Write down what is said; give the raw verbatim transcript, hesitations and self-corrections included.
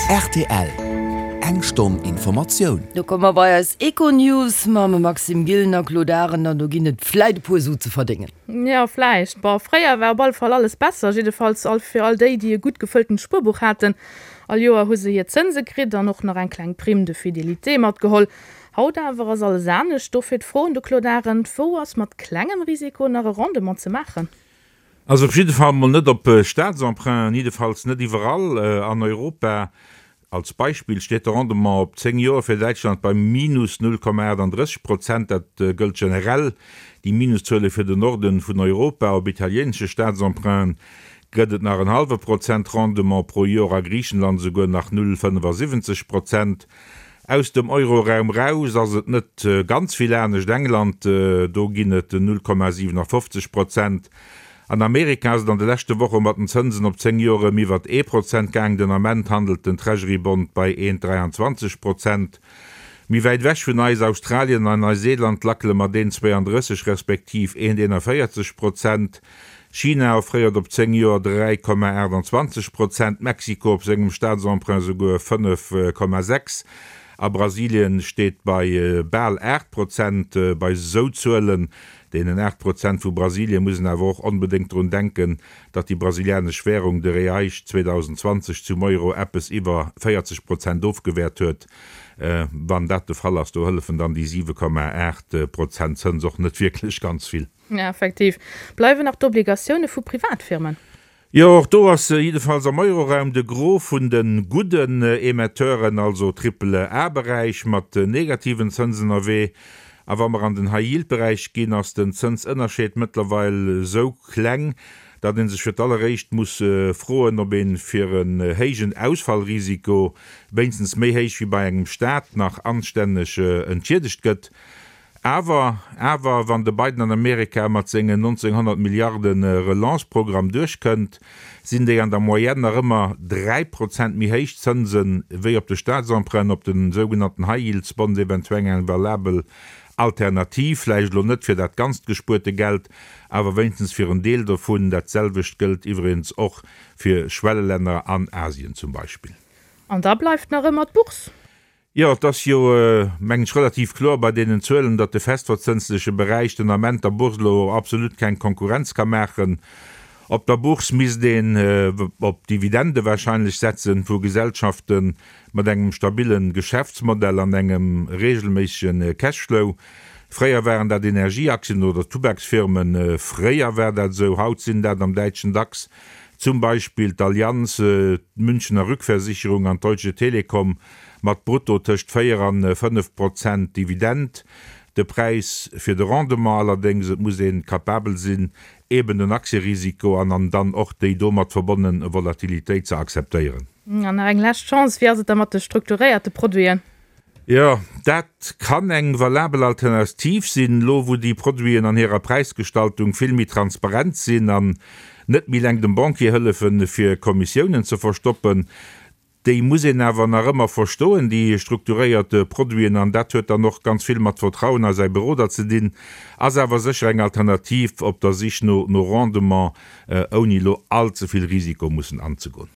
R T L, Eng Stonn Informatioun. Do komme mer bei eis Econews mam Maxime Gillen a Claude Arend an do ginn et vläit e puer Su ze verdéngen. Ja, vläicht. Boah, fréier war op alle Fall alles besser, jiddefalls all fir all déi, déi e gutt gefëlltent Spuerbuch haten. All Joer hu se hir Zënse kritt an och nach eng kleng Prime de fidélité matgeholl. Haut awer ass alles anescht. Dofir d'Fro un de Claude Arend, Wou ass mat klengem Risiko nach e Rendement ze maachen? Also op jidde Fall mol net op Staatsemprunten, jiddefalls net iwwerall an Europa. Als Beispill steet de Rendement op zéng Joer fir Däitschland bei minus null Komma achtandrësseg Prozent. Dat gëllt generell déi Minuszuele fir den Norden vun Europa. Op italieenesche Staatsemprunten gëtt et nach en hallwe Prozent Rendement pro Joer, a Griichenland esouguer nach null Komma fënnefasiwwenzeg Prozent. Aus dem Euroraum raus ass et net ganz vill anescht. England, do ginn et null Komma siwenafofzeg Prozent. An Amerika ass et an de leschte Woche mat den Zënsen op zéng Joer ëm iwwert ee Prozent gaang. Den Ament handelt den Treasury Bond bei eent Komma dräianzwanzeg Prozent. Méi wäit ewech vun eis, Australien an Neuseeland lackele mat eent Komma zwouandrësseg respektiv eent Komma eenanvéierzeg Prozent. China offréiert op zéng Joer dräi Komma aachtanzwanzeg Prozent, Mexiko op sengem Staatsemprunt esouguer fënnef Komma sechs a Brasilien steet bei bal aacht Prozent. Bei esou Zuelen, deenen aacht Prozent vu Brasilien, muss een awer och onbedéngt drun denken, datt déi brasilianesch Währung, de Reais, zweedausenzwanzeg zum Euro eppes iwwer véierzeg Prozent ofgewäert huet. Wann dat de Fall ass, do hëllefen dann déi siwe Komma aacht Prozent Zëns och net wierklech ganz vill. Ja, effektiv. Bleiwen nach d'Obligatioune vu Privatfirmen. Jo, och do ass jiddefalls am Euroraum de Gros vun de gudden Emetteuren, also Triple-A-Beräich, mat negativen Zënsen ënnerwee. A wa mer an den High-Yield-Beräich ginn, ass den Zënsënnerscheed mëttlerweil esou kleng, datt ee sech fir d'alleréischt muss froen, ob ee fir en héijen Ausfallrisiko, wéinstens méi héich wéi bei engem Staat, nach anstänneg entschiedegt gëtt. Awer, awer, wann de Biden an Amerika mat sengen nonzénghonnert Milliarde Relance-Programm duerchkënnt, sinn déi an der Moyenne nach ëmmer dräi Prozent méi héich Zënse wéi op de Staatsemprunten, op de sougenannten High-Yields-Bonds, eventuell eng valabel Alternativ, vläicht elo net fir dat ganzt gespuerte Geld, awer wéinstens fir en Deel dovun. Dat selwecht gëllt iwwregens och fir Schwellelänner an Asien zum Beispill. An da bleift nach ëmmer d'Bourse. Jo, et ass jo, mengen ech, relativ kloer bei deenen Zuelen, datt de festverzënsleche Beräich den Ament der Bourse elo absolut keng Konkurrenz ka maachen. Op der Bourse misst een op Dividende wahrscheinlech setzen vu Gesellschafte mat engem stabille Geschäftsmodell an engem reegelméissege Cashflow. Fréier waren dat Energieaktien oder Tubaksfirmen, fréier war dat esou, haut sinn dat am däitschen DAX zum Beispill d'Allianz, d'Münchener Rückversicherung an d'Deutsche Telekom mat brutto tëscht véier an fënnef Prozent Dividend. De Präis fir de Rendement allerdéngs, et muss ee capabel sinn, eben den Aktierisiko an an dann och déi domat verbonne Volatilitéit ze akzeptéieren. An nach eng lescht Chance, Wéi ass et da mat de strukturéierte Produiten? Jo, dat kann eng valabel Alternativ sinn, elo wou déi Produiten an hirer Präisgestaltung vill méi transparent sinn an net méi eleng dem Banquier hëllefen, fir Kommissiounen ze verstoppen. Déi muss een awer nach ëmmer verstoen, déi strukturéiert Produiten, an dat huet dann och ganz vill mat Vertrauen a säi Beroder ze dinn. Ass awer sécher eng Alternativ op der Sich no Rendement, ouni elo all ze vill Risiko mussen anzegoen.